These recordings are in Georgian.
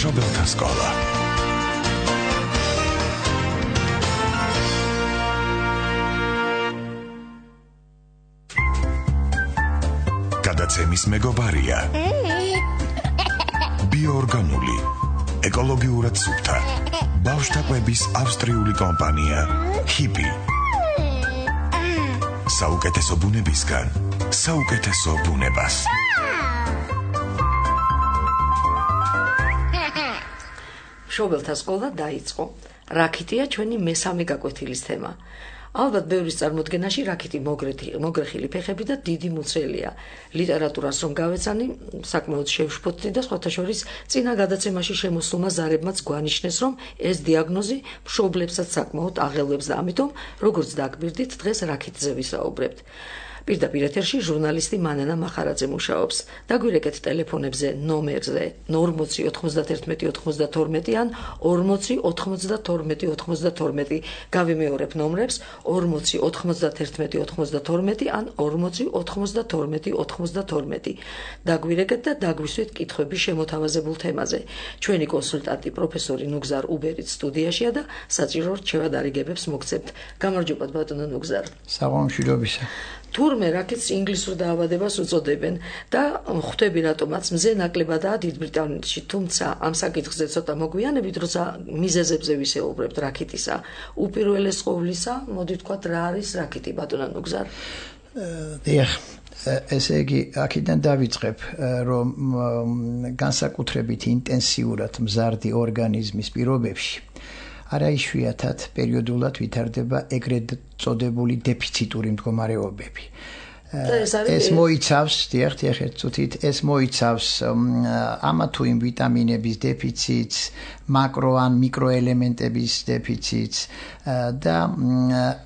მშობელთა სკოლა. გადაცემის მეგობარია ბიოორგანული, ეკოლოგიურად სუფთა, ბავშვთა კვების ავსტრიული კომპანია ჰიპი. საუკეთესო ბუნებისგან საუკეთესო ბუნებას. მშობელთა სკოლა დაიწყო. რაქიტია ჩვენი მესამე გაკვეთილის თემა. ალბათ ბევრის წარმოდგენაში რაქიტი მოგრეხილი ფეხები და დიდი მუცელია. ლიტერატურას რომ გავეცანი, საკმაოდ შევშფოთდი და სხვათა შორის წინა გადაცემაში შემოსულმა ზარებმაც გვანიშნეს, რომ ეს დიაგნოზი მშობლებსაც საკმაოდ აღელვებს და ამიტომ, როგორც დაგვირდით, დღეს რაქიტზე ვისაუბრებთ. პირდაპირ ეთერში ჟურნალისტი მანანა მახარაძე მუშაობს. დაგვირეკეთ ტელეფონებზე ნომერზე 40 91 92 ან 40 92 92. გავიმეორებ ნომრებს 40 91 92 ან 40 92 92. დაგვირეკეთ და დაგვისვით კითხვები შემოთავაზებულ თემაზე. ჩვენი კონსულტანტი პროფესორი ნუგზარ უბერიც სტუდიაშია და საჭირო რჩევად არიგებებს მოგცემთ. გამარჯობა ბატონო ნუგზარ. საღამომშვიდობისა. თურმე რაქიტს ინგლისურ დაავადებას უწოდებენ და ხვდები რატომაც მზე ნაკლებადაა დიდ ბრიტანეთში, თუმცა ამ საკითხზე ცოტა მოგვიანებით, როცა მიზეზებზე ვისაუბრებთ რაქიტისა, უპირველეს ყოვლისა, მოდი ვთქვათ, რა არის რაქიტი, ბატონო ნუგზარ? ესე იგი, აქედან დავიწყებ, რომ განსაკუთრებით ინტენსიურად მზარდი ორგანიზმის პირობებში არა იშვიათად პერიოდულად ვითარდება ეგრეთ წოდებული დეფიციტური მდგომარეობები. ეს მოიცავს, ეს მოიცავს ამა თუ იმ ვიტამინების დეფიციტს, მაკრო ან მიკროელემენტების დეფიციტს და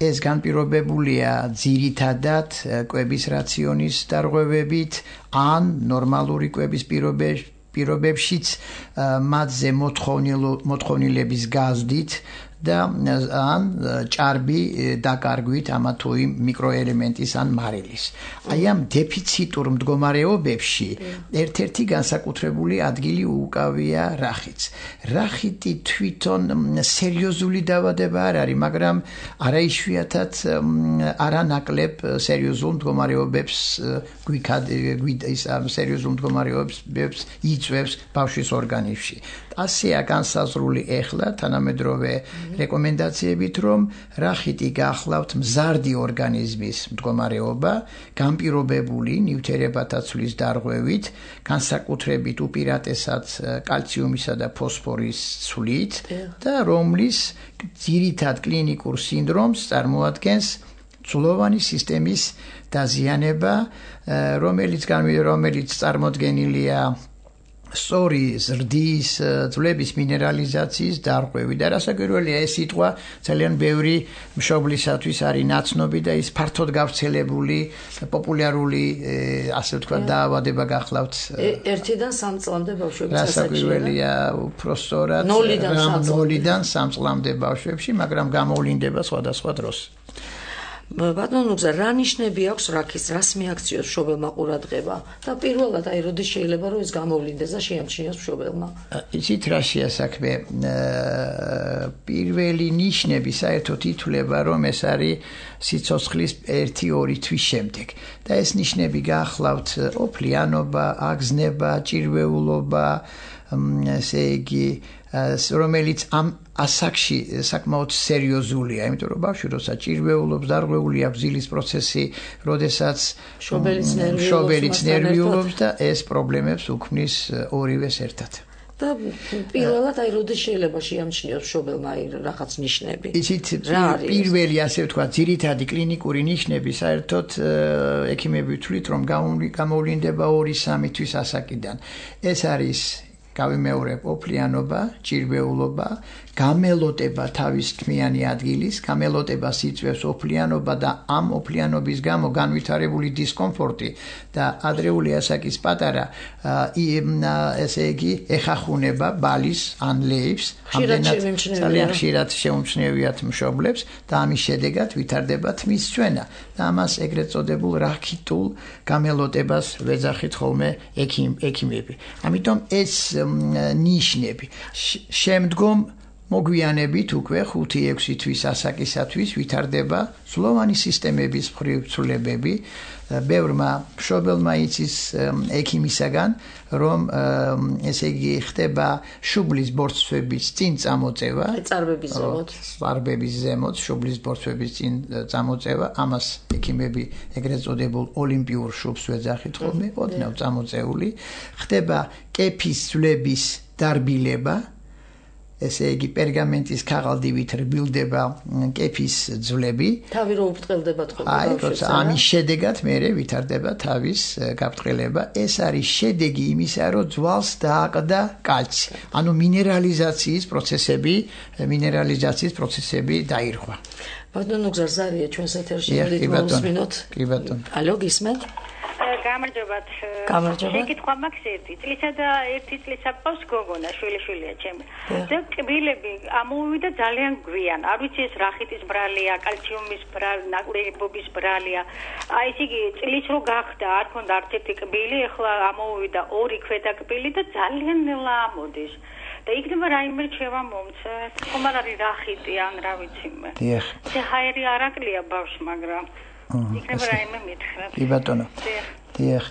ეს განპირობებულია ძირითადად კვების რაციონის დარღვევებით ან ნორმალური კვების პირობებშიც მათზე მოთხოვნილების გაზრდით და ან ჭარბი დაკარგვით ამა თუ იმ მიკროელემენტის ან მარილის. აი ამ დეფიციტურ მდგომარეობებში ერთ-ერთი განსაკუთრებული ადგილი უკავია რახიტს. რახიტი თვითონ სერიოზული დაავადება არ არის, მაგრამ არაიშვიათად არანაკლებ სერიოზულ მდგომარეობებს სერიოზულ მდგომარეობებს იწვევს ბავშვის ორგანიზმში. ასეა განსაზღვრული ეხლა თანამედროვე რეკომენდაციებით, რომ რახიტი გახლავთ მზარდი ორგანიზმის მდგომარეობა, განპირობებული ნივთიერებათა ცვლის დარღვევით, განსაკუთრებით უპირატესად კალციუმისა და ფოსფორის ცვლით და რომლის ძირითად კლინიკურ სინდრომს წარმოადგენს ცვლოვანი სისტემის დაზიანება, რომელიც წარმოდგენილია სწორი ზრდის ძვლების მინერალიზაციის დარღვევით და რასაკვირველია, ეს სიტყვა ძალიან ბევრი მშობლისათვის არის ნაცნობი და ის ფართოდ გავრცელებული პოპულარული ასე ვთქვათ დაავადება გახლავთ. 1-დან 3 წლამდე ბავშვებში რასაკვირველია, უფრო სწორად 0-დან 3 წლამდე ბავშვებში, მაგრამ გამოვლინდება სხვადასხვა დროს. ბატონო ნუგზარ, რა ნიშნები აქვს რაქიტს, რას მიაქციოს მშობელმა ყურადღება და პირველად აი როდის შეიძლება რომ ეს გამოვლინდეს და შეამჩნიოს მშობელმა? იცით რა შეასაქმე? პირველი ნიშნები საერთოდ ითვლება, რომ ეს არის სიცოცხლის 1-2 თვის შემდეგ და ეს ნიშნები გახლავთ ოფლიანობა, აგზნება, ჭირვეულობა, ესე იგი რომელიც ამ ასაკში საკმაოდ სერიოზულია, იმიტომ რომ ბავშვი როცა ჭირვეულობს, დარღვეული აქვს ძილის პროცესი, როდესაც შობელიც ნერვიულობს და ეს პრობლემებს უქმნის ორივეს ერთად. და პირველად აი როდის შეიძლება შეამჩნიოს მშობელმა აი რაღაც ნიშნები? იცით, პირველი ასე ვთქვათ, ძირითადი კლინიკური ნიშნები საერთოდ ექიმები თვლით, რომ გამოვლინდება 2-3 თვის ასაკიდან. ეს არის გავიმეორებ ოფლიანობა, ჭირვეულობა, გამელოტება თავის თმიანი ადგილის, გამელოტებას იწვევს ოფლიანობა და ამ ოფლიანობის გამო განვითარებული დისკომფორტი და ადრეული ასაკის პატარა ესე იგი ეხახუნება ბალის ან ლეიფს, ძალიან ხშირად შეუმჩნევიათ მშობლებს და ამის შედეგად ვითარდება თმის წვენა და ამას ეგრეთ წოდებულ რაქიტულ გამელოტებას ვეძახით ხოლმე ექიმები. ამიტომ ეს ნიშნები. შემდგომ მოგვიანებით უკვე 5-6 თვის ასაკისათვის ვითარდება სლოვანი სისტემების მხრივ ცვლილებები. ბევრმა მშობელმა იცის ექიმისაგან, რომ ესე იგი ხდება შუბლის ბორცვების წინ წამოწევა, წარბების ზემოთ შუბლის ბორცვების წინ წამოწევა, ამას ექიმები ეგრეთ წოდებულ ოლიმპიურ შუბს ვეძახით ხოლმე, ოდნავ წამოწეული, ხდება კეფის ძვლების დარბილება, ესე იგი პერგამენტის ქაღალდივით რბილდება კეფის ძვლები. თავი რო უბრტყელდება თქო. აი, როცა ამის შედეგად მერე ვითარდება თავის გაფრთხილება. ეს არის შედეგი იმისა, რომ ძვალს დააყდა კალცი. ანუ მინერალიზაციის პროცესები დაირღვა. ბატონო გზარზარია ჩვენს ეთერში მოვისმინოთ. კი ბატონო. ალო, გისმენთ? გამარჯობათ. შეკითხვა მაქვს ერთი. წლისა და ერთი წლის აპყავს გოგონა, შვილიშვილია ჩემი. და კბილები ამოვიდა ძალიან გვიან. არ ვიცი ეს რახიტის ბრალია, კალციუმის ნაკლებობის ბრალია. აი ესე იგი წლის რო გახდა, არ ქონდა არც ერთი კბილი, ახლა ამოვიდა 2 ქვედა კბილი და ძალიან ნელა ამოდის. და იქნება რაიმე რჩევა მომცა. ხომ არ არის რახიტი ან რა ვიცი მე. დიახ. ჰაერი არ აკლია ბავშვს, მაგრამ იქნება რაიმე მითხრა. კი ბატონო. დიახ.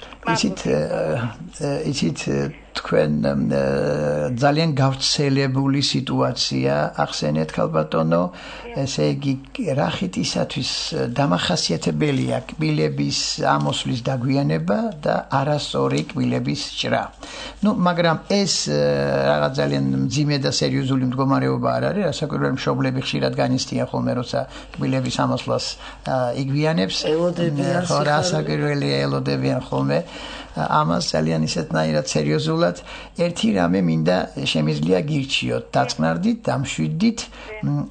იცით თქვენ ძალიან გავრცელებული სიტუაცია ახსენეთ ქალბატონო, ესე იგი რახიტისათვის დამახასიათებელია კბილების ამოსვლის დაგვიანება და არასწორი კბილების ჭრა. მაგრამ ეს რაღაც ძალიან მძიმე და სერიოზული მდგომარეობა არ არის, რასაკვირველია მშობლები ხშირად განიცდიან ხოლმე, როცა კბილების ამოსვლას იგვიანებს, ხო, რასაკვირველია ელოდებიან ხოლმე ამას ძალიან ისეთნაირად სერიოზულად. ერთი რამე მინდა შემიძლია გირჩიოთ, დაწყნარდით, დამშვიდით,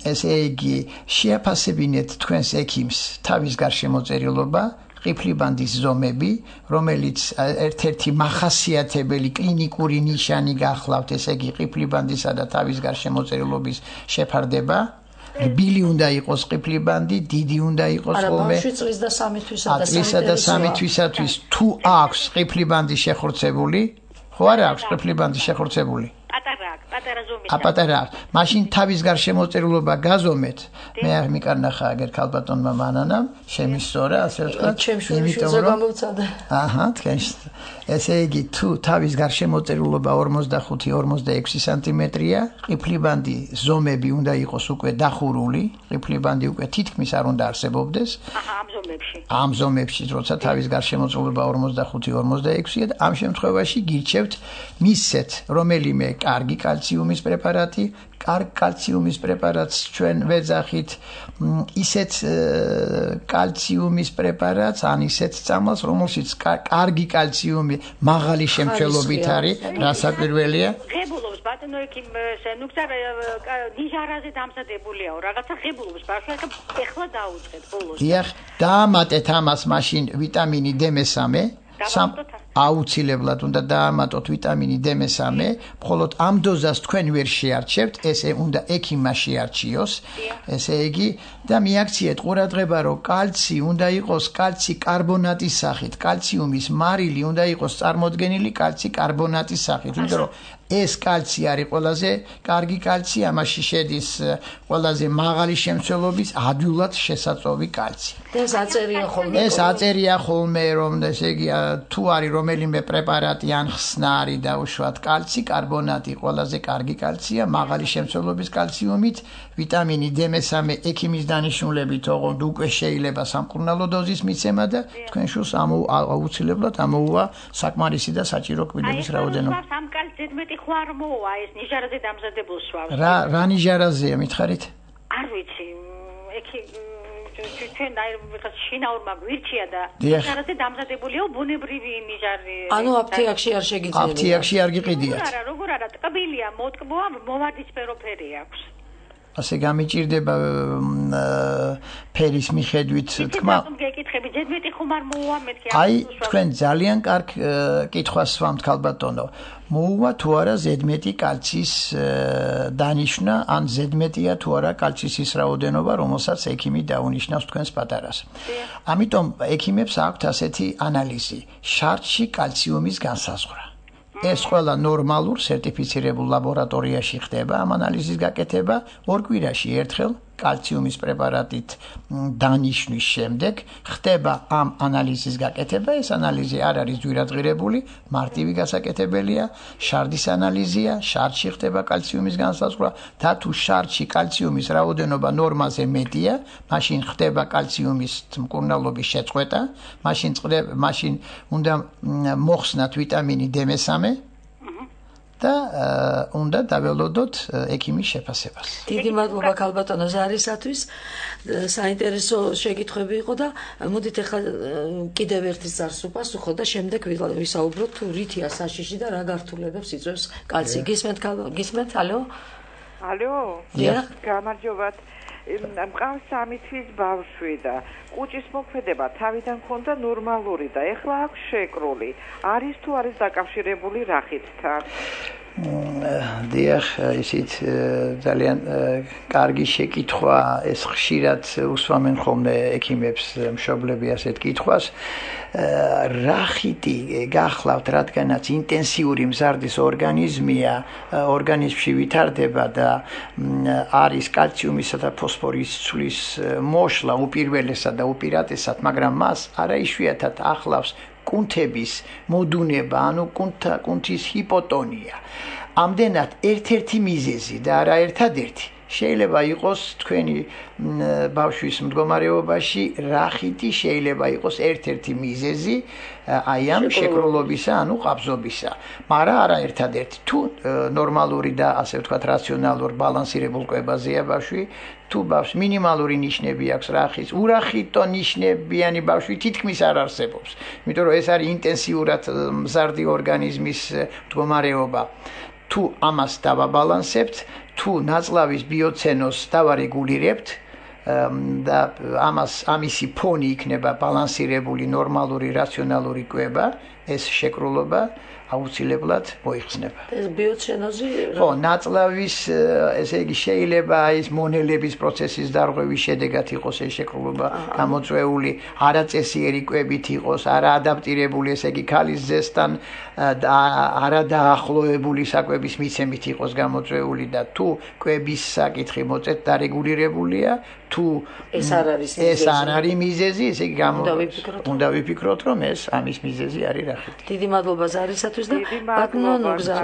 ესე იგი შეაფასებინეთ თქვენს ექიმს თავის გარშემოწერილობა, ყიფლიბანდის ზომები, რომელიც ერთ-ერთი მახასიათებელი კლინიკური ნიშანი გახლავთ, ესე იგი ყიფლიბანდისა და თავის გარშემოწერილობის შეფარდება. რბილი უნდა იყოს ყიფლიბანდი, დიდი უნდა იყოს ხოლმე. წლის და 3 თვისათვის თუ აქვს ყიფლიბანდი შეხორცებული, ხო არა აქვს ყიფლიბანდი შეხორცებული? პატარა აქვს. მაშინ თავის გარშემოწერილობა გაზომეთ. მე არ მიკარნახა აგერ ქალბატონმა მანანამ, შემისწორა, ასე ვთქვათ, იმიტომ რომ თქვენ ესე იგი თუ თავის გარშემოწერილობა 45-46 სანტიმეტრია, ყიფლიბანდი ზომები უნდა იყოს უკვე დახურული, ყიფლიბანდი უკვე თითქმის არ უნდა არსებობდეს. ამ ზომებში, როცა თავის გარშემოწერილობა 45-46-ია და ამ შემთხვევაში გირჩევთ მისცეთ რომელიმე კარგი კალციუმის პრეპარატი, კარგ კალციუმის პრეპარატს ჩვენ ვეძახით ისეთ კალციუმის პრეპარატს, ან ისეთ წამალს, რომელშიც კარგი კალციუმი მაღალი შემცველობით არის, რასაკვირველია. ღებულობს ბატონო ექიმ, ნუ გზარა ნიჟარაზე დამზადებულიაო, რაღაცა ღებულობს ბავშვი, ეხლა დაუწყეთ ბოლოს. დიახ, დაამატეთ ამას მაშინ ვიტამინი D3. აუცილებლად უნდა დაამატოთ ვიტამინი D3, მხოლოდ ამ დოზას თქვენ ვერ შეარჩევთ, ესე უნდა ექიმმა შეარჩიოს, ესე იგი და მიაქციეთ ყურადღება, რომ კალცი უნდა იყოს კალცი კარბონატის სახით, კალციუმის მარილი უნდა იყოს წარმოდგენილი კალცი კარბონატის სახით, იმიტომ რომ ეს კალცი არის ყველაზე კარგი კალცი, ამაში შედის ყველაზე მაღალი შემცველობის ადვილად შესაწოვი კალცი. ეს აწერია ხოლმე, რომ ესე იგი თუ არის რომელიმე პრეპარატი ან ხსნარი დაუშვათ კალცი, კარბონატი ყველაზე კარგი კალცია, მაღალი შემცველობის კალციუმით, ვიტამინი D3 ექიმის დანიშნულებით, ოღონდ უკვე შეიძლება სამკურნალო დოზის მიცემა და თქვენ შულს აუცილებლად ამოუვა საკმარისი და საჭირო კბილების რაოდენობა. ამ კალცი ზედმეტი ხო არ მოუვა ეს ნიჟარაზე დამზადებულ სვავს. რა ნიჟარაზეა მითხარით? არ ვიცი. ჩვენ ვიღაც შინაურმა გვირჩია და ნიჟარაზე დამზადებულია ბუნებრივი ნიჟარი. ანუ აფთიაქში არ შეგიძლია. აფთიაქში არ გიყიდიათ. როგორ არა, ტკბილია, მოტკბოა, მოვარდისფერო ფერი აქვს. ასე გამიჭირდება ფერის მიხედვით თქმა. გეკითხები, ზედმეტი ხომ არ მოუვა მეთქი. აი, თქვენ ძალიან კარგ კითხვას ვამთ ქალბატონო. მოუვა თუ არა ზედმეტი კალციის დანიშნა, ან ზედმეტია თუ არა კალციის ის რაოდენობა, რომელსაც ექიმი დაუნიშნავს თქვენს პატარას. ამიტომ ექიმებს აქვთ ასეთი ანალიზი: შარდში კალციუმის განსაზღვრა. ეს ყველა ნორმალურ სერტიფიცირებულ ლაბორატორიაში ხდება ამ ანალიზის გაკეთება 2 კვირაში ერთხელ კალციუმის პრეპარატით დანიშნვის შემდეგ ხდება ამ ანალიზის გაკეთება ეს ანალიზი არ არის ძვირადღირებული მარტივი გასაკეთებელია შარდის ანალიზია შარდში ხდება კალციუმის განსაზღვრა და თუ შარდში კალციუმის რაოდენობა ნორმაზე მეტია მაშინ ხდება კალციუმის მკურნალობის შეწყვეტა მაშინ უნდა მოხსნათ ვიტამინი D3 და უნდა დაველოდოთ ექიმის შეფასებას. დიდი მადლობა ქალბატონო ზარისათვის. საინტერესო შეკითხვები იყო და მოდით ახლა კიდევ ერთი ზარს უპასუხო და შემდეგ ვისაუბროთ თუ რითია საშიში და რა გართულებებს იწვევს კალცი. გისმენთ? ალო? ალო? დიახ. გამარჯობათ. მყავს 3 თვის ბავშვი და კუჭის მოქმედება თავიდან ჰქონდა ნორმალური და ეხლა აქვს შეკრული. არის თუ არის დაკავშირებული რახითთან? დიახ, ისიც ძალიან კარგი შეკითხვა, ეს ხშირად უსვამენ ხოლმე ექიმებს მშობლები ასეთ კითხვას. რახიტი გახლავთ, რადგანაც ინტენსიური მზარდის ორგანიზმია, ორგანიზმში ვითარდება და არის კალციუმისა და ფოსფორის ცვლის მოშლა უპირველესად და უპირატესად, მაგრამ მას არაიშვიათად ახლავს კუნთების მოდუნება, ანუ კუნთის ჰიპოტონია. ამდენად ერთ-ერთი მიზეზი და არა ერთადერთი შეიძლება იყოს თქვენი ბავშვის მდგომარეობაში რახიტი შეიძლება იყოს ერთ-ერთი მიზეზი აი ამ შეკრულობისა, ანუ ყაბზობისა. მაგრამ არა ერთადერთი. თუ ნორმალური და ასე ვთქვათ რაციონალურ ბალანსირებულ კვებაზეა ბავშვი, თუ ბავშვს მინიმალური ნიშნები აქვს რახის, ურახიტო ნიშნებიანი ბავშვი თითქმის არ არსებობს. იმიტომ რომ ეს არის ინტენსიურად მზარდი ორგანიზმის მდგომარეობა. თუ ამას დავაბალანსებთ, თუ ნაწლავის ბიოცენოს დავარეგულირებთ და ამისი ფონი იქნება ბალანსირებული ნორმალური რაციონალური კვება, ეს შეკრულობა აუცილებლად მოიხსნება. ეს ბიოცენოზი ხო, ნაწლავის ესე იგი შეიძლება ის მონელების პროცესის დარღვევის შედეგად იყოს ეს შეკრულობა გამოწვეული, არაწესიერი კვებით იყოს, არაადაპტირებული, ესე იგი ქალის ძესთან არადაახლოებული საკვების მიცემით იყოს გამოწვეული და თუ კვების საკითხი მოწეთ დარეგულირებულია, თუ ეს არ არის მიზეზი, ესე იგი უნდა ვიფიქროთ, რომ ეს ამის მიზეზი არის რახითი. დიდი მადლობა ზარისათვის და ბატონო ნუგზა.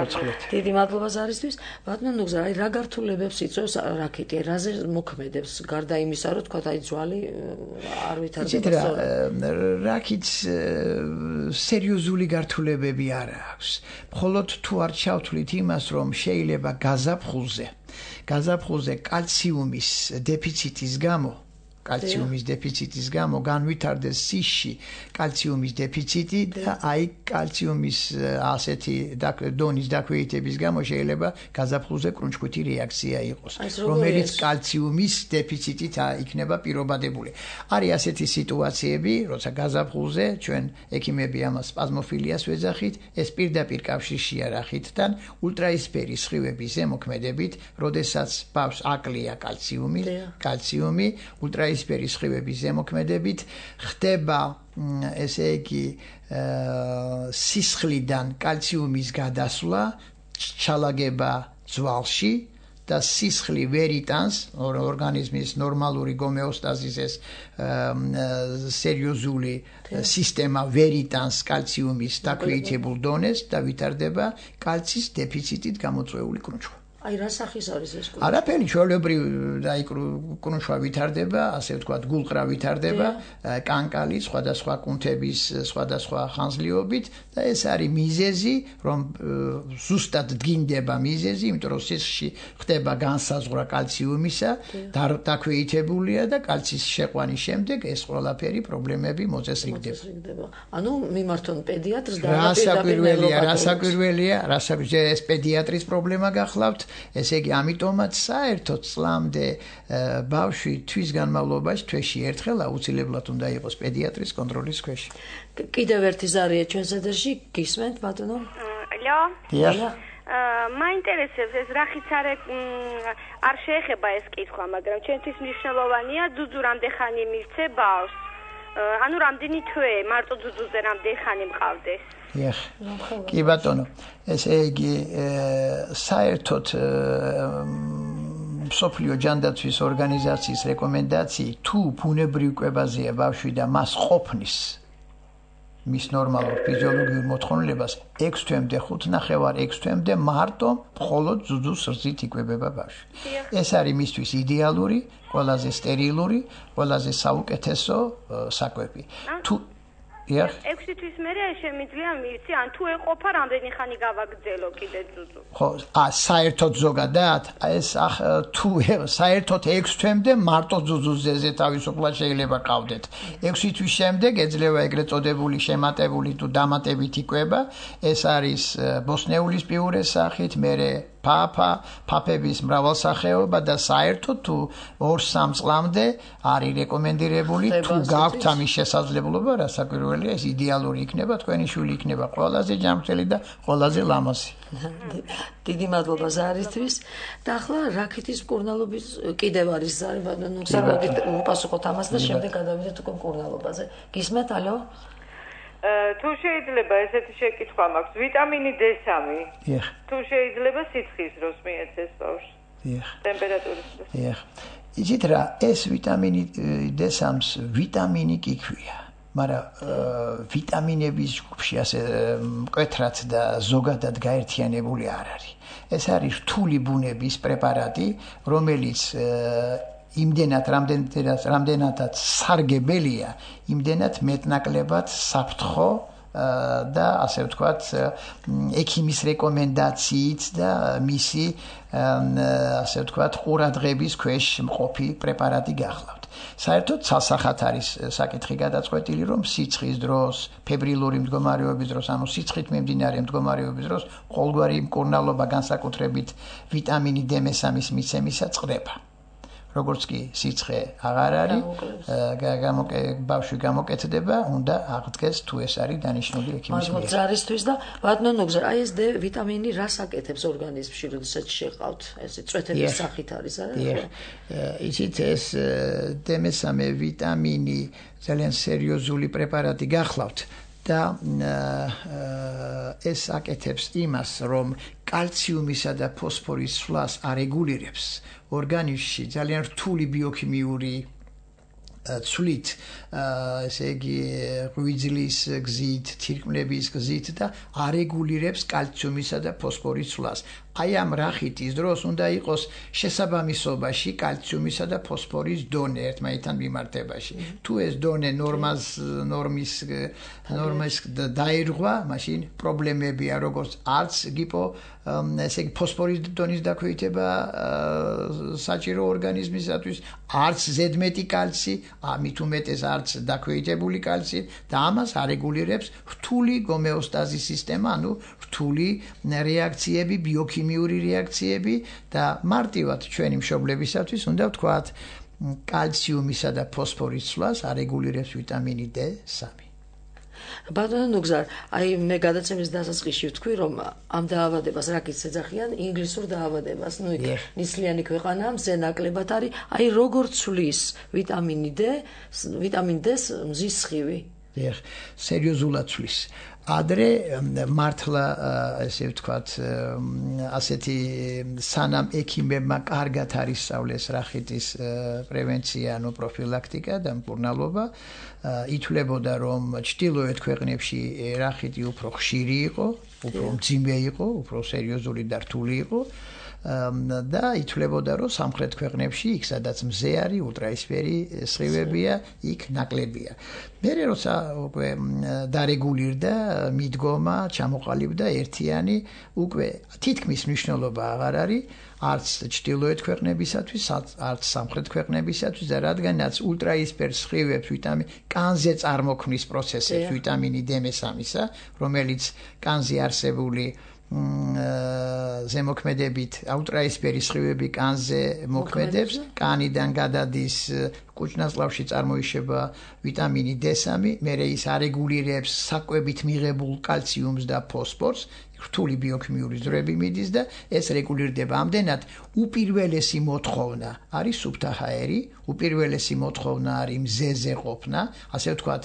დიდი მადლობა ზარისთვის. ბატონო ნუგზა, აი რა გართულებებს იწვევს რახითი? რაზე მოქმედებს გარდა იმისა, რომ თქვა აი ძვალი არ ვითარდება? რახითს სერიოზული გართულებები არ აქვს. მხოლოდ თუ არ ჩავთვლით იმას, რომ შეიძლება გაზაფხულზე კალციუმის დეფიციტის გამო განვითარდეს სისში კალციუმის დეფიციტი და აი კალციუმის ასეთი დონის დაქვეითების გამო შეიძლება გაზაფხულზე კრუნჩქვითი რეაქცია იყოს, რომელიც კალციუმის დეფიციტით იქნება პირობადებული. არის ასეთი სიტუაციები, როცა გაზაფხულზე ჩვენ ექიმები ამას სპაზმოფილიას ვეძახით, ეს პირდაპირ კავშირშია რახითთან, ულტრაისფერი სხივების ზემოქმედებით, როდესაც ბავშვს აკლია კალციუმი, ულტრაისფერი სხივების ზემოქმედებით ხდება ესე იგი სისხლიდან კალციუმის გადასვლა, ჩალაგება ძვალში და სისხლი ვერ იტანს ორგანიზმის ნორმალური გომეოსტაზის ეს სერიოზული სისტემა ვერ იტანს კალციუმის დაქვეითებულ დონეს და ვითარდება კალციის დეფიციტით გამოწვეული კრუნჩხვა. აი რა სახის არის ეს კრუნჩხვა? არაფერი, ჩვეულებრივ აი კრუნჩხვა ვითარდება, ასე ვთქვათ, გულყრა ვითარდება, კანკალი, სხვადასხვა კუნთების, სხვადასხვა ხანძლივობით და ეს არის მიზეზი, რომ ზუსტად დგინდება მიზეზი, იმიტომ რომ სისხლში ხდება განსაზღვრა კალციუმისა, დაქვეითებულია და კალციის შეყვანის შემდეგ ეს ყველაფერი პრობლემები მოწესრიგდება. ანუ მიმართონ პედიატრს და რასაკვირველია, ეს პედიატრის პრობლემა გახლავთ. ესე იგი, ამიტომაც საერთოდ წლამდე ბავშვი თვის განმავლობაში თვეში ერთხელ აუცილებლად უნდა იყოს პედიატრის კონტროლის ქვეშ. კიდევ ერთი ზარია ჩვენს ეთერში, გისმენთ ბატონო? ალო? დიახ. მაინტერესებს ეს რახიც არ შეეხება ეს კითხვა, მაგრამ ჩვენთვის მნიშვნელოვანია, ძუძუ რამდენ ხანი მივცე ბავშვს. ანუ რამდენი თვე მარტო ძუძუზე რამდენი ხანი მყავდეს? კი ბატონო, ესე იგი საერთოდ მსოფლიო ჯანდაცვის ორგანიზაციის რეკომენდაციით თუ ბუნებრივ კვებაზეა ბავშვი და მას ყოფნის მის ნორმალურ ფიზიოლოგიურ მოთხოვნილებას 6 თვემდე 5.5 თვემდე მარტო მხოლოდ ძუძუს რძით იკვებება ბავშვი. ეს არის მისთვის იდეალური, ყველაზე სტერილური, ყველაზე საუკეთესო საკვები. თუ 6 თვის მერე შემიძლია მივცი, ან თუ ეყოფა რამდენი ხანი გავაგრძელო კიდე ძუძუ. ხო, საერთოდ ზოგადად, ეს თუ საერთოდ 6 თვემდე მარტო ძუძუზე თავისუფლად შეიძლება ყავდეთ. 6 თვის შემდეგ ეძლევა ეგრეთ წოდებული შემატებული თუ დამატებით იკვება. ეს არის ბოსნეულის პიურეს სახით, მერე ფაფების მრავალსახეობა და საერთოდ თუ 2-3 წლამდე არის რეკომენდირებული თუ გაქვთ ამის შესაძლებლობა, რასაკვირველია, ეს იდეალური იქნება, თქვენი შვილი იქნება ყველაზე ჯანმრთელი და ყველაზე ლამაზი. დიდი მადლობა ზარისთვის. და ახლა რაქეთის მკურნალობის კიდევ არის ზარი ბატონო, უპასუხოთ ამას და შემდეგ გადავიდეთ უკვე მკურნალობაზე. გისმენთ, ალო? თუ შეიძლება ესეთი შეკითხვა მაქვს, ვიტამინი D3. თუ შეიძლება სიცხის დროს მიეცეს ბავშვს. ტემპერატურის დროს. იცით რა, ეს ვიტამინი D3-ს ვიტამინი კი ქვია. მაგრამ ვიტამინების ჯგუფში ასე მკვეთრად და ზოგადად გაერთიანებული არ არის. ეს არის რთული ბუნების პრეპარატი, რომელიც რამდენადაც სარგებელია, იმდენად მეტნაკლებად საფრთხო და ასე ვთქვათ, ექიმის რეკომენდაციით და მისი ასე ვთქვათ, ყურადღების ქვეშ მყოფი პრეპარატი გახლავთ. საერთოდ სასახად არის საკითხი გადაწყვეტილი, რომ სიცხის დროს, ფებრილური მდგომარეობის დროს, ანუ სიცხით მიმდინარე მდგომარეობის დროს ყოველგვარი მკურნალობა განსაკუთრებით ვიტამინი D3-ის მიცემისა წყდება. როგორც კი სიცხე აღარ არის, ბავშვი გამოკეთდება, უნდა აღდგეს თუ ეს არის დანიშნული ექიმის მიერ. მაგრამ ზარისთვის და ბატონო ნუგზარ, აი ეს D ვიტამინი რას აკეთებს ორგანიზმში, როდესაც შეყავთ? ეს წვეთების სახით არის, არა? იცით, ეს D3 ვიტამინი ძალიან სერიოზული პრეპარატი გახლავთ. და ეს აკეთებს იმას, რომ კალციუმისა და ფოსფორის სვლას არეგულირებს ორგანიზმში ძალიან რთული ბიოქიმიური ცვლით, ესე იგი ღვიძლის გზით, თირკმლების გზით და არეგულირებს კალციუმისა და ფოსფორის სვლას. აი ამ რახიტის დროს უნდა იყოს შესაბამისობაში კალციუმისა და ფოსფორის დონე ერთმანეთთან მიმართებაში. თუ ეს დონე ნორმის დაირღვა, მაშინ პრობლემებია, როგორც არც ესე იგი ფოსფორის დონის დაქვეითება საჭირო ორგანიზმისათვის, არც ზედმეტი კალცი, ამით უმეტეს არც დაქვეითებული კალცი და ამას არეგულირებს რთული გომეოსტაზის სისტემა, ანუ რთული რეაქციები, ბიოქიმიური რეაქციები და მარტივად ჩვენი მშობლებისათვის უნდა ვთქვათ, კალციუმისა და ფოსფორის სვლას არეგულირებს ვიტამინი D3. ბატონო ნუგზარ, აი მე გადაცემის დასაწყისში ვთქვი, რომ ამ დაავადებას რაკიც ეძახიან ინგლისურ დაავადებას, ნუ იქ ნისლიანი ქვეყანა, მზე ნაკლებად არის, აი როგორ ცვლის ვიტამინი D-ს მზის სხივი? სერიოზულად ცვლის. ადრე მართლა ესე ვთქვათ, ასეთი სანამ ექიმებმა კარგად არისწავლეს რახიტის პრევენცია, ანუ პროფილაქტიკა და მკურნალობა, ითვლებოდა, რომ ჩრდილოეთ ქვეყნებში რახიტი უფრო ხშირი იყო, უფრო მძიმე იყო, უფრო სერიოზული და რთული იყო. და ითვლებოდა, რომ სამხრეთ ქვეყნებში, იქ სადაც მზე არის, ულტრაისფერი სხივებია, იქ ნაკლებია. მერე როცა უკვე დარეგულირდა მიდგომა, ჩამოყალიბდა ერთიანი, უკვე თითქმის მნიშვნელობა აღარ არის არც ჩრდილოეთ ქვეყნებისათვის, არც სამხრეთ ქვეყნებისათვის და რადგანაც ულტრაისფერ სხივებს კანზე წარმოქმნის პროცესებს ვიტამინი D3-ისა, რომელიც კანზე არსებული ზემოქმედებით ულტრაისფერი სხივები კანზე მოქმედებს, კანიდან გადადის კუჭნაწლავში წარმოიშება ვიტამინი D3, მერე ის არეგულირებს საკვებით მიღებულ კალციუმს და ფოსფორს, რთული ბიოქიმიური ზრები მიდის და ეს რეგულირდება. ამდენად უპირველესი მოთხოვნა არის სუფთა ჰაერი, უპირველესი მოთხოვნა არის მზეზე ყოფნა, ასე ვთქვათ,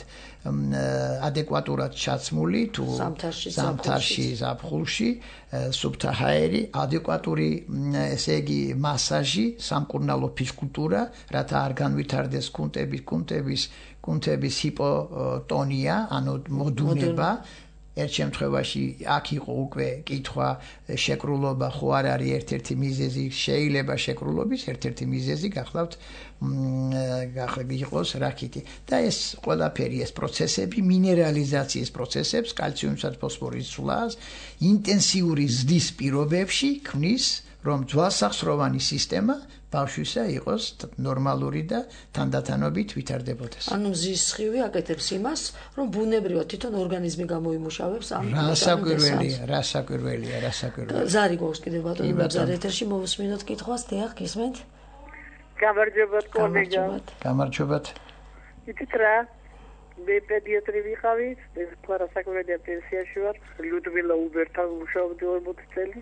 ადეკვატურად ჩაცმული თუ ზამთარში, ზაფხულში, სუფთა ჰაერი, ადეკვატური, ესე იგი, მასაჟი, სამკურნალო ფიზკულტურა, რათა არ განვითარდეს კუნთების ჰიპოტონია, ანუ მოდუნება. ერთ შემთხვევაში აქ იყო უკვე კითხვა შეკრულობა ხო არ არის ერთ-ერთი მიზეზი, შეიძლება შეკრულობის ერთ-ერთი მიზეზი გახლავთ იყოს რაკიტი. და ეს ყველაფერი ეს პროცესები მინერალიზაციის პროცესებს, კალციუმსა და ფოსფორის ცვლას ინტენსიური ზრდის პირობებში ქმნის, რომ ძვალსახსროვანი სისტემა ბავშვისა იყოს ნორმალური და თანდათანობით ვითარდებოდეს. ანუ მზის სხივი აკეთებს იმას, რომ ბუნებრივად თვითონ ორგანიზმი გამოიმუშავებს ამ რასაკვირველია. ზარი გვაქვს კიდევ ბატონო, ზარი ეთერში მოვუსმინოთ კითხვას, დიახ, გისმენთ? გამარჯობათ კოლეგა. გამარჯობათ. იცით რა? მე პედიატრი ვიყავი, ეს რასაკვირველია პენსიაში ვარ, ლუდმილა უბერთან ვმუშაობდი 40 წელი.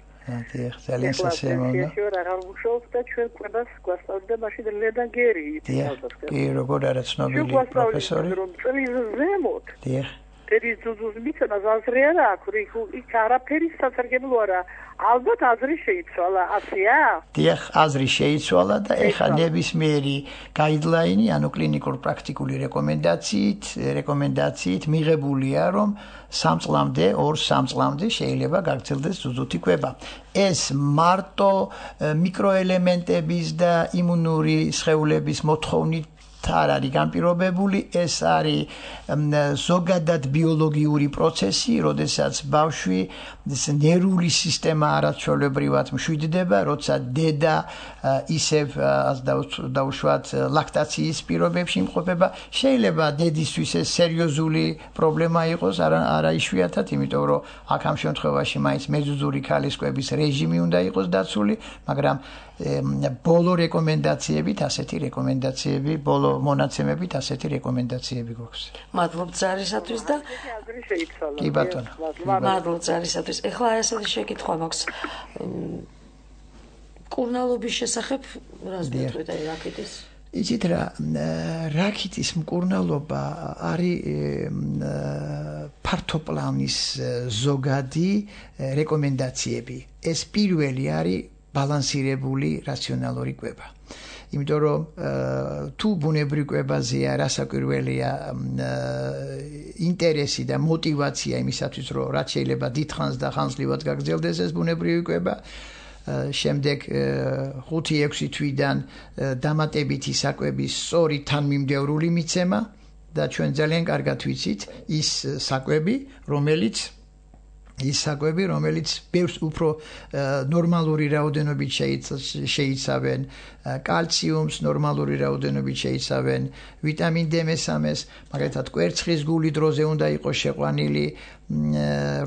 დიახ, ძალიან სასიამოვნო. აღარ ვმუშაობ და ჩვენ კვებას გვასწავლიდა მაშინ ლედან გერი. კი, როგორ არა ცნობილი პროფესორი. რომ წლის ზემოთ. დიახ. ერის ძუძუს მიცემა ზაზრი არა აქვს, იქ არაფერი სასარგებლო არა. ალბათ აზრი შეიცვალა, ასეა? დიახ, აზრი შეიცვალა და ეხლა ნებისმიერი გაიდლაინი, ანუ კლინიკურ პრაქტიკული რეკომენდაციით მიღებულია, რომ 3 წლამდე, 2-3 წლამდე შეიძლება გაგრძელდეს ძუძუთი კვება. ეს მარტო მიკროელემენტების და იმუნური სხეულების მოთხოვნით არ არის განპირობებული, ეს არის ზოგადად ბიოლოგიური პროცესი, როდესაც ბავშვი ნერვული სისტემა არაჩვეულებრივად მშვიდდება, როცა დედა ისევ დაუშვათ ლაქტაციის პირობებში იმყოფება. შეიძლება დედისთვის ეს სერიოზული პრობლემა იყოს, არა იშვიათად, იმიტომ რომ აქ ამ შემთხვევაში მაინც მეზუზური ქალის კვების რეჟიმი უნდა იყოს დაცული, მაგრამ ბოლო რეკომენდაციებით ბოლო მონაცემებით ასეთი რეკომენდაციები გვაქვს. მადლობთ ზარისათვის და კი ბატონო. მადლობთ ზარისათვის. ეხლა ასეთი შეკითხვა მაქვს. მკურნალობის შესახებ რას გეტყვით აი რაკიტის? იცით რა, რაკიტის მკურნალობა არის ფართოპლანის ზოგადი რეკომენდაციები. ეს პირველი არის ბალანსირებული რაციონალური კვება. იმიტომ რომ თუ ბუნებრივ კვებაზეა რასაკვირველია ინტერესი და мотиваცია იმისათვის რომ რაც შეიძლება დიდხანს და ხანსლივად გაგრძელდეს ეს ბუნებრივი კვება, შემდეგ 5-6 თვიდან დამატებითი საკვების სწორი თანმიმდევრული მიცემა და ჩვენ ძალიან კარგად ვიცით ის საკვები, რომელიც ბევრს უფრო ნორმალური რაოდენობით შეიცავენ კალციუმს, ნორმალური რაოდენობით შეიცავენ ვიტამინ D3-ს, მაგალითად კვერცხის გული დროზე უნდა იყოს შეყვანილი,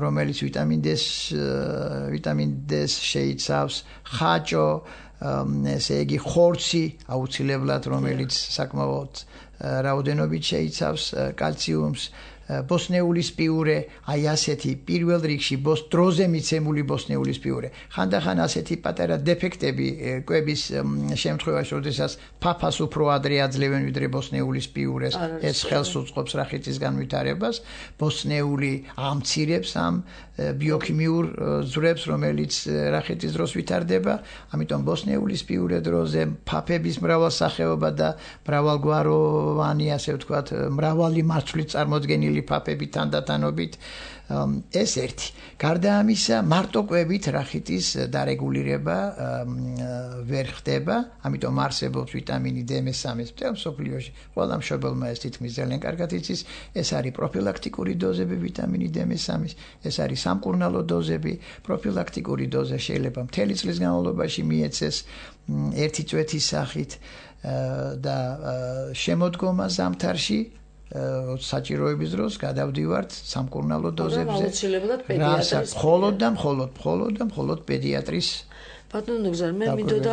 რომელიც ვიტამინ D-ს შეიცავს, ხაჭო, ესე იგი ხორცი აუცილებლად, რომელიც საკმაოდ რაოდენობით შეიცავს კალციუმს, ბოსნეულის პიურე, აი ასეთი პირველ რიგში დროზე მიცემული ბოსნეულის პიურე. ხანდახან ასეთი პატარა დეფექტები კვების შემთხვევაში, როდესაც ფაფას უფრო ადრე აძლევენ ვიდრე ბოსნეულის პიურეს, ეს ხელს უწყობს რახიტის განვითარებას. ბოსნეული ამცირებს ამ ბიოქიმიურ ზვრებს, რომელიც რახიტის დროს ვითარდება, ამიტომ ბოსნეულის პიურე დროზე ფაფების მრავალსახეობა და მრავალგვაროვანი, ასე ვთქვათ, მრავალი მარცვლით წარმოდგენილი ფაფები თანდათანობით ეს ერთი. გარდა ამისა, მარტო კვებით რახიტის დარეგულირება ვერ ხდება, ამიტომ არსებობს ვიტამინი D3 მთელ მსოფლიოში. ყველა მშობელმა ეს თითქმის ძალიან კარგად იცის, ეს არის პროფილაქტიკური დოზები ვიტამინი D3, ეს არის სამკურნალო დოზები, პროფილაქტიკური დოზა შეიძლება მთელი წლის განმავლობაში მიეცეს ერთი წვეთის სახით და შემოდგომა ზამთარში საჭიროების დროს გადავდივართ სამკურნალო დოზებზე. აუცილებლად პედიატრის. მხოლოდ პედიატრის. ბატონო ნუგზარ, მე მინდოდა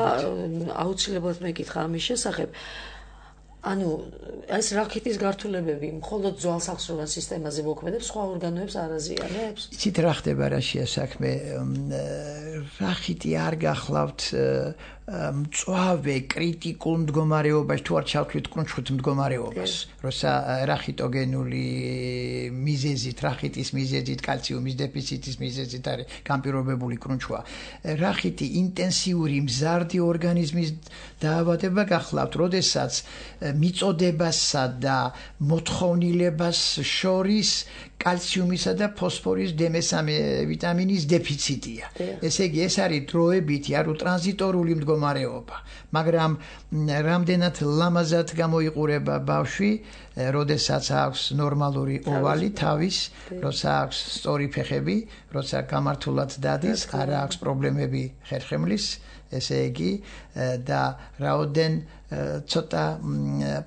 აუცილებლად მეკითხა ამის შესახებ. ანუ ეს რახიტის გართულებები მხოლოდ ძვალსახსროვან სისტემაზე მოქმედებს, სხვა ორგანოებს არ აზიანებს? იცით რა ხდება რა შეასაქმე? რახიტი არ გახლავთ მწვავე კრიტიკულ მდგომარეობაში თუ არ ჩავთვლით კრუნჩხუთ მდგომარეობას, როცა რახიტოგენული მიზეზით, რახიტის მიზეზით, კალციუმის დეფიციტის მიზეზით არის განპირობებული კრუნჩხვა. რახიტი ინტენსიური მზარდი ორგანიზმის დაავადება გახლავთ, როდესაც მიწოდებასა და მოთხოვნილებას შორის კალციუმისა და ფოსფორის D3 ვიტამინის დეფიციტია. ესე იგი, ეს არის დროებითი, არ ტრანზიტორული მდგომარეობა, მაგრამ რამდენად ლამაზად გამოიყურება ბავშვი, როდესაც აქვს ნორმალური ოვალი თავის, როცა აქვს სწორი ფეხები, როცა გამართულად დადის, არ აქვს პრობლემები ხერხემლის, ესე იგი და რაოდენ ცოტა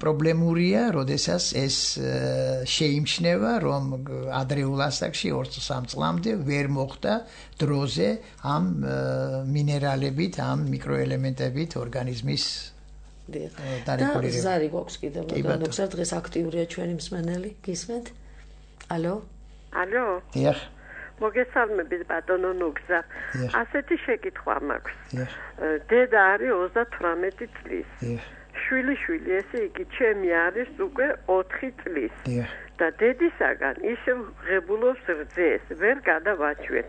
პრობლემურია, როდესაც ეს შეიმჩნევა, რომ ადრეულ ასაკში 2-3 წლამდე ვერ მოხდა დროზე ამ მინერალებით, ამ მიკროელემენტებით ორგანიზმის დარეგულირება. ზარი გვაქვს კიდევ, მაგრამ ნოქსარ დღეს აქტიურია ჩვენი მსმენელი, გისმენთ? ალო? ალო? დიახ. მოგესალმებით ბატონო ნუგზა. ასეთი შეკითხვა მაქვს. დედა არის 38 წლის. შვილი, ესე იგი ჩემი არის უკვე 4 წლის. და დედისაგან ისევ ღებულობს რძეს, ვერ გადავაჩვეთ.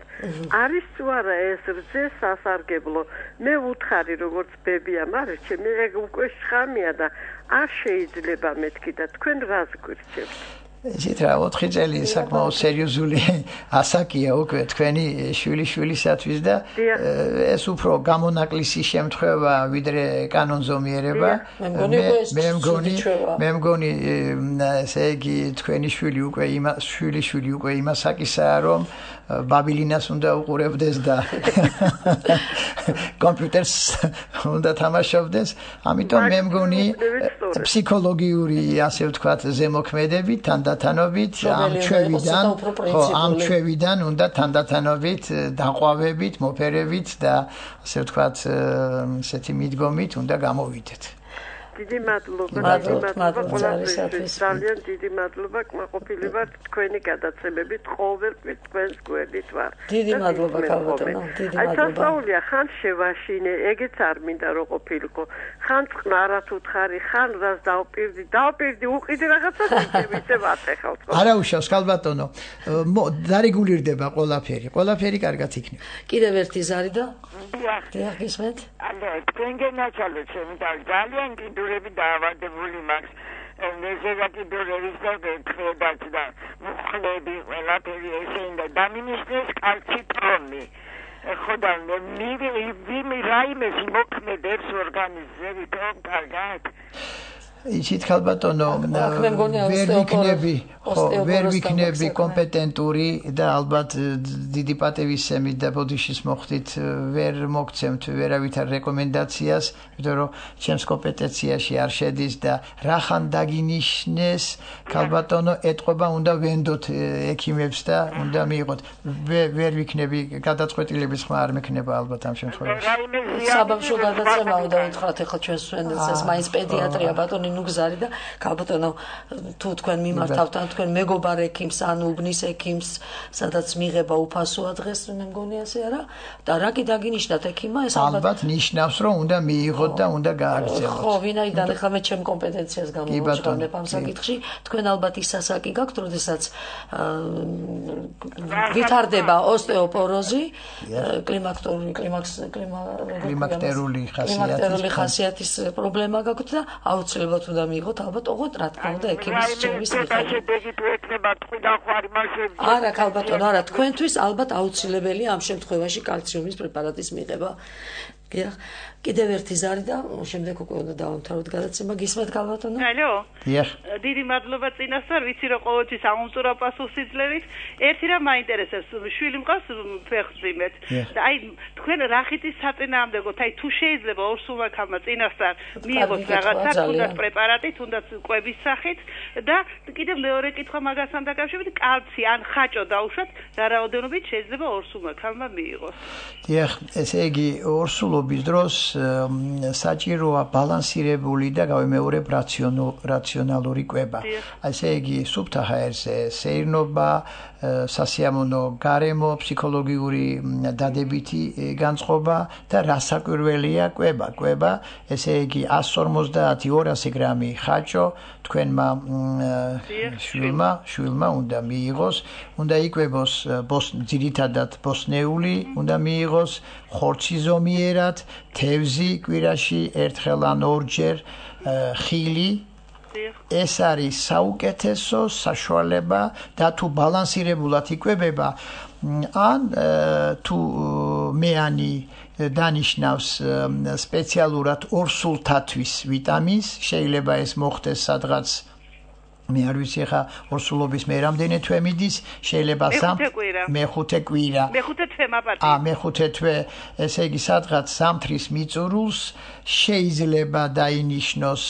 არის თუ არა ეს რძე სასარგებლო? მე ვუთხარი როგორც ბებია, მაგრამ ჩემი ეგ უკვე შხამია და არ შეიძლება მეთქი და თქვენ რას გვირჩევთ? ისეთ რა 4 წელი საკმაოდ სერიოზული ასაკია უკვე თქვენი შვილისათვის და ეს უფრო გამონაკლისი შემთხვევა ვიდრე კანონზომიერება. მე მგონი ესე იგი თქვენი შვილი უკვე იმ ასაკისაა, რომ ბაბილინას უნდა უყურებდეს და კომპიუტერს უნდა თამაშობდეს. ამიტომ მე მგონი ფსიქოლოგიური, ასე ვთქვათ, ზემოქმედებით თანდათანობით ამ ჩვევიდან უნდა თანდათანობით დაყვავებით, მოფერებით და ასე ვთქვათ, ესეთი მიდგომით უნდა გამოვიდეთ. დიდი მადლობა ყველაფერთვის. ძალიან დიდი მადლობა, კმაყოფილი ვარ თქვენი გადაცემებით, ყოველთვის თქვენს გვერდით ვარ. დიდი მადლობა ქალბატონო, დიდი მადლობა. სასწაულია, ხან შევაშინე, ეგეც არ მინდა რომ ყოფილიყო. ხან წყნარად უთხარი, ხან რას დავპირდი, უყიდი რაღაცა ისე ვატეხავთ. არა უშავს ქალბატონო, დარეგულირდება ყველაფერი კარგად იქნება. კიდევ ერთი ზარი და დიახ, გისმენთ? თქვენ გენაჩალეთ, ძალიან კიდურები დაავადებული მაქვს. ნეზერაკიდურების და ხედაც და მუხლები, ყველაფერი ესე უნდა დამინისტრეს კალციტრონი. ხოდა მე რაიმეს მოქმედებს ორგანიზმზე, თორემ კარგად. იცით ქალბატონო, ვერ ვიქნები კომპეტენტური და ალბათ დიდი პატივისცემით და ბოდიშის მოხდით ვერ მოგცემთ ვერავითარ რეკომენდაციას, იმიტომ რომ ჩემს კომპეტენციაში არ შედის და რახან დაგინიშნეს ქალბატონო, ეტყობა უნდა ვენდოთ ექიმებს და უნდა მიიღოთ. ვერ ვიქნები გადაწყვეტილების ხმა არ მექნება ალბათ ამ შემთხვევაში. საბავშვო გადაცემაო დაითხრათ ახლა ჩვენს სვენელს, მაინც პედიატრია ბატონი ნუგზარი და ქალბატონო, თუ თქვენ მიმართავთ ან თქვენ მეგობარ ექიმს ან უბნის ექიმს, სადაც მიიღება უფასოა დღეს, მე მგონი ასე არა? და რა კი დაგინიშნათ ექიმმა, ეს ალბათ ნიშნავს, რომ უნდა მიიღოთ და უნდა გააგრძელოთ. ხო, ვინაიდან ახლა მე ჩემ კომპეტენციას გამოვაჩვენებ ამ საკითხში, თქვენ ალბათ ის ასაკი გაქვთ, როდესაც ვითარდება ოსტეოპოროზი, კლიმაქტერული ხასიათის პრობლემა გაქვთ და აუცილებლად უნდა მიიღოთ ალბათ ოღონდ რა თქმა უნდა ექიმის რჩევის მიხედვით. არა ქალბატონო, არა, თქვენთვის ალბათ აუცილებელია ამ შემთხვევაში კალციუმის პრეპარატის მიღება. კიდევ ერთი ზარი და შემდეგ უკვე უნდა დავამთავროთ გადაცემა. გისმენთ ქალბატონო? ალო. დიახ. დიდი მადლობა წინასწარ, ვიცი რომ ყოველთვის ამომწურა პასუხს იძლევით. ერთი რამ მაინტერესებს, შვილი მყავს ფეხმძიმეთ და აი თქვენ რახიტის საწინააღმდეგოდ, აი თუ შეიძლება ორსულმა ქალმა წინასწარ მიიღოს რაღაცა, თუნდაც პრეპარატი, თუნდაც კვების სახით და კიდევ მეორე კითხვა მაგასთან დაკავშირებით, კალცი ან ხაჭო დაუშვათ, რა რაოდენობით შეიძლება ორსულმა ქალმა მიიღოს. დიახ, ესე იგი ორსულ ორსულობის დროს საჭიროა ბალანსირებული და გავიმეორებ რაციონალური კვება. ასე იგი სუფთა ჰაერზე სეირნობა, სასიამოვნო გარემო, ფსიქოლოგიური დადებითი განწყობა და რასაკვირველია კვება. ესე იგი 150-200 გრამი ხაჭო თქვენმა შვილმა უნდა მიიღოს, უნდა იკვებოს ძირითადად ბოსნეული, უნდა მიიღოს ხორცი ზომიერად, თევზი კვირაში ერთხელ ან ორჯერ, ხილი. ეს არის საუკეთესო საშუალება და თუ ბალანსირებულად იკვებება ან თუ მეანი დანიშნავს სპეციალურად ორსულთათვის ვიტამინს, შეიძლება ეს მოხდეს სადღაც მე არ ვიცი ხა ორსულობის მე რამდენი თვე მიდის, შეიძლება მეხუთე კვირა. მეხუთე თვე მაპატი. მეხუთე თვე, ესე იგი სადღაც სამთრის მიწურულს შეიძლება დაინიშნოს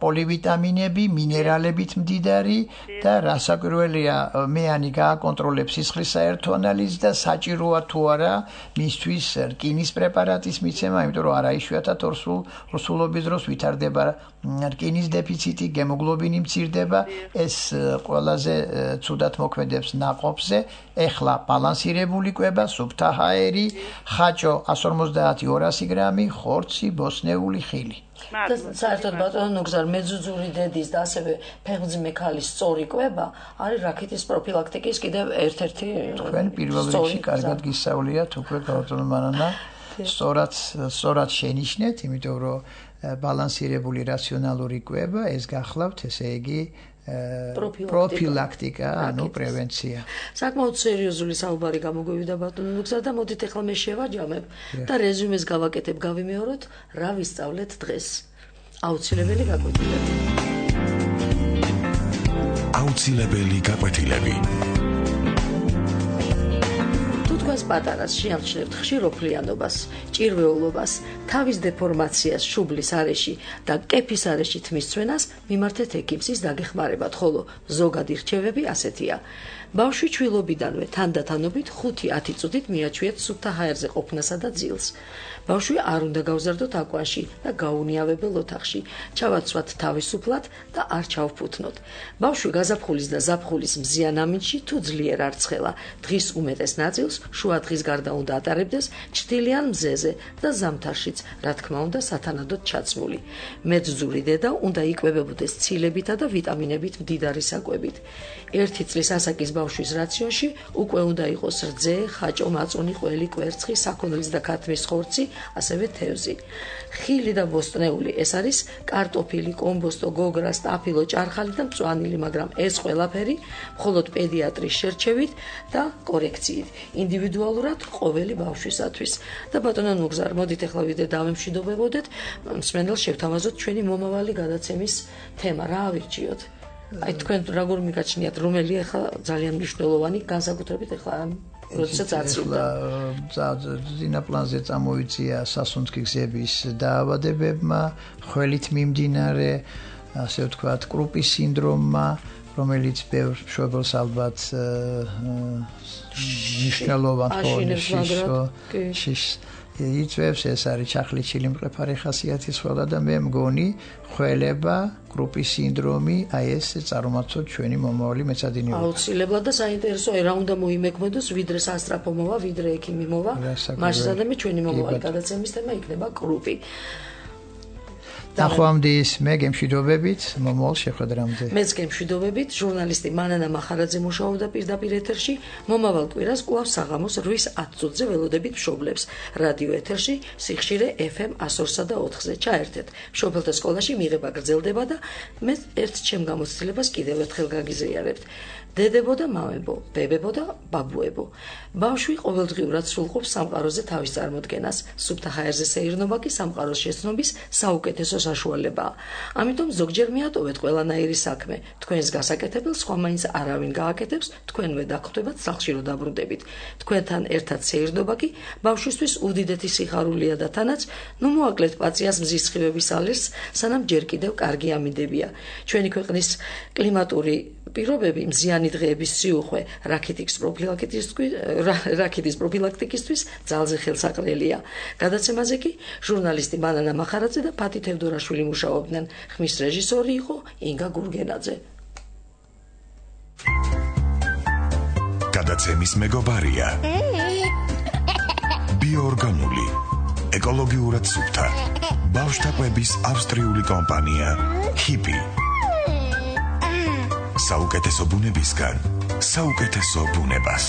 პოლივიტამინები, მინერალებით მდიდარი და რასაკვირველია მეანი გააკონტროლებს სისხლის საერთო ანალიზს და საჭიროა თუ არა მისთვის რკინის პრეპარატის მიცემა, იმიტომ რომ არაიშვიათად ორსულობის დროს ვითარდება რკინის დეფიციტი, გემოგლობინი მცირდება, ეს ყველაზე ცუდად მოქმედებს ნაყოფზე. ეხლა ბალანსირებული კვება, სუფთა ჰაერი, ხაჭო 150-200 გრამი, ხორცი, ბოსნეული ხილი. და საერთოდ ბატონო ნუგზარ მეძუძური დედის და ასევე ფეხმძიმე ქალის სწორი კვება არის რაქიტის პროფილაქტიკის კიდევ ერთ-ერთი თქვენ პირველ რიგში კარგად გისწავლიათ უკვე ბატონო მანანა სწორად შენიშნეთ, იმიტომ რომ ბალანსირებული რაციონალური კვება ეს გახლავთ, ესე იგი პროფილაქტიკა, ანუ პრევენცია. საკმაოდ სერიოზული საუბარი გამოგვივიდა ბატონო ნუგზარ და მოდით ახლა მე შევაჯამებ და რეზუმეს გავაკეთებ, გავიმეოროთ, რა ვისწავლეთ დღეს. აუცილებელი გაკვეთილები. აუცილებელი გაკვეთილები. თქვენს პატარას შეამჩნევთ ხშირ ოფლიანობას, ჭირვეულობას, თავის დეფორმაციას, შუბლის არეში და კეფის არეში თმის ცვენას, მიმართეთ ექიმს დაგეხმარებათ, ხოლო ზოგადი რჩევები ასეთია. ბავშვი ჩვილობიდანვე თანდათანობით 5-10 წუთით მიაჩვიეთ სუფთა ჰაერზე ყოფნასა და ძილს. ბავშვი არ უნდა გავზარდოთ აკვანში და გაუნიავებელ ოთახში, ჩავაცვათ თავისუფლად და არ ჩავფუთნოთ. ბავშვი გაზაფხულის და ზაფხულის მზიან ამინდში თუ ძლიერ არ ცხელა, დღის უმეტეს ნაწილს შუა დღის გარდა უნდა ატარებდეს ჩრდილიან მზეზე და ზამთარშიც, რა თქმა უნდა, სათანადოდ ჩაცმული. მეძძური დედა უნდა იკვებებოდეს ცილებითა და ვიტამინებით მდიდარი საკვებით. 1 წლის ასაკის ბავშვის რაციონში უკვე უნდა იყოს რძე, ხაჭო, მაწუნი, ყველი, კვერცხი, საქონლის და ქათმის ხორცი, ასევე თევზი. ხილი და ბოსტნეული, ეს არის კარტოფილი, კომბოსტო, გოგრა, სტაფილო, ჭარხალი და მწვანილი, მაგრამ ეს ყველაფერი მხოლოდ პედიატრის შერჩევით და კორექციით, ინდივიდუალურად ყოველი ბავშვისათვის. და ბატონო ნუგზარ, მოდით ახლა ვიდრე დავემშვიდობებოდეთ, მსმენელს შევთავაზოთ ჩვენი მომავალი გადაცემის თემა, რა ავირჩიოთ? აი თქვენ როგორ მიგაჩნიათ, რომელი ახლა ძალიან მნიშვნელოვანი, განსაკუთრებით ახლა როდესაც აცილდა. ძინა პლანზე წამოიწია სასუნთქი გზების დაავადებებმა, ხველით მიმდინარე, ასე ვთქვათ, კრუპის სინდრომმა, რომელიც ბევრ მშობელს ალბათ მნიშვნელოვან ხონიშს იწვევს, ეს არის ჩახლიჩილი მყიფარი ხასიათის ხველა და მე მგონი ხველება, კრუპის სინდრომი, აი ეს წარმართოთ ჩვენი მომავალი მეცადინეობა. აუცილებლად და საინტერესოა, რა უნდა მოიმექმედოს, ვიდრე სასტრაფო მოვა, ვიდრე ექიმი მოვა, მასშტაბში ჩვენი მომავალი გადაცემის თემა იქნება კრუპი. ნახვამდის მე გემშვიდობებით მომავალ შეხვედრამდე. მეც გემშვიდობებით, ჟურნალისტი მანანა მახარაძე მუშაობდა პირდაპირ ეთერში, მომავალ კვირას კვლავ საღამოს 8:10 წუთზე ველოდებით მშობლებს. რადიო ეთერში სიხშირე FM 102-სა და 4-ზე ჩაერთეთ. მშობელთა სკოლაში მიღება გრძელდება და მე ერთ ჩემ გამოცდილებას კიდევ ერთხელ გაგიზიარებთ. დედებო და მამებო, ბებებო და ბაბუებო. ბავშვი ყოველდღიურად სრულყოფს სამყაროზე თავის წარმოდგენას. სუფთა ჰაერზე სეირნობა კი სამყაროს შეცნობის საუკეთესო საშუალებაა. ამიტომ ზოგჯერ მიატოვეთ ყველანაირი საქმე. თქვენს გასაკეთებელს სხვა მაინც არავინ გააკეთებს, თქვენვე დაგხვდებათ სახლში რომ დაბრუნდებით. თქვენთან ერთად სეირნობა კი ბავშვისთვის უდიდესი სიხარულია და თანაც, ნუ მოაკლეთ პაციას მზის სხივების ალერტს, სანამ ჯერ კიდევ კარგი ამინდებია. ჩვენი ქვეყნის კლიმატური პირობები მზიანი მტკნარი დღეების სიუხვე რაქიტის პროფილაქტიკისთვის ძალზე ხელსაყრელია. გადაცემაზე კი ჟურნალისტი მანანა მახარაძე და ფათი თევდორაშვილი მუშაობდნენ. ხმის რეჟისორი იყო ინგა გურგენაძე. გადაცემის მეგობარია ბიოორგანული ეკოლოგიურად სუფთა ბავშვთა კვების ავსტრიული კომპანია ჰიპი საუკეთესო ბუნებისგან საუკეთესო ბუნებას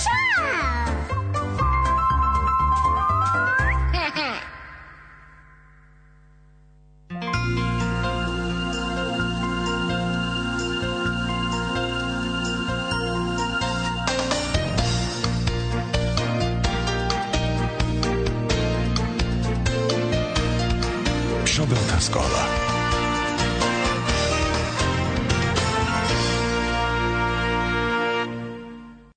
მშობელთა სკოლა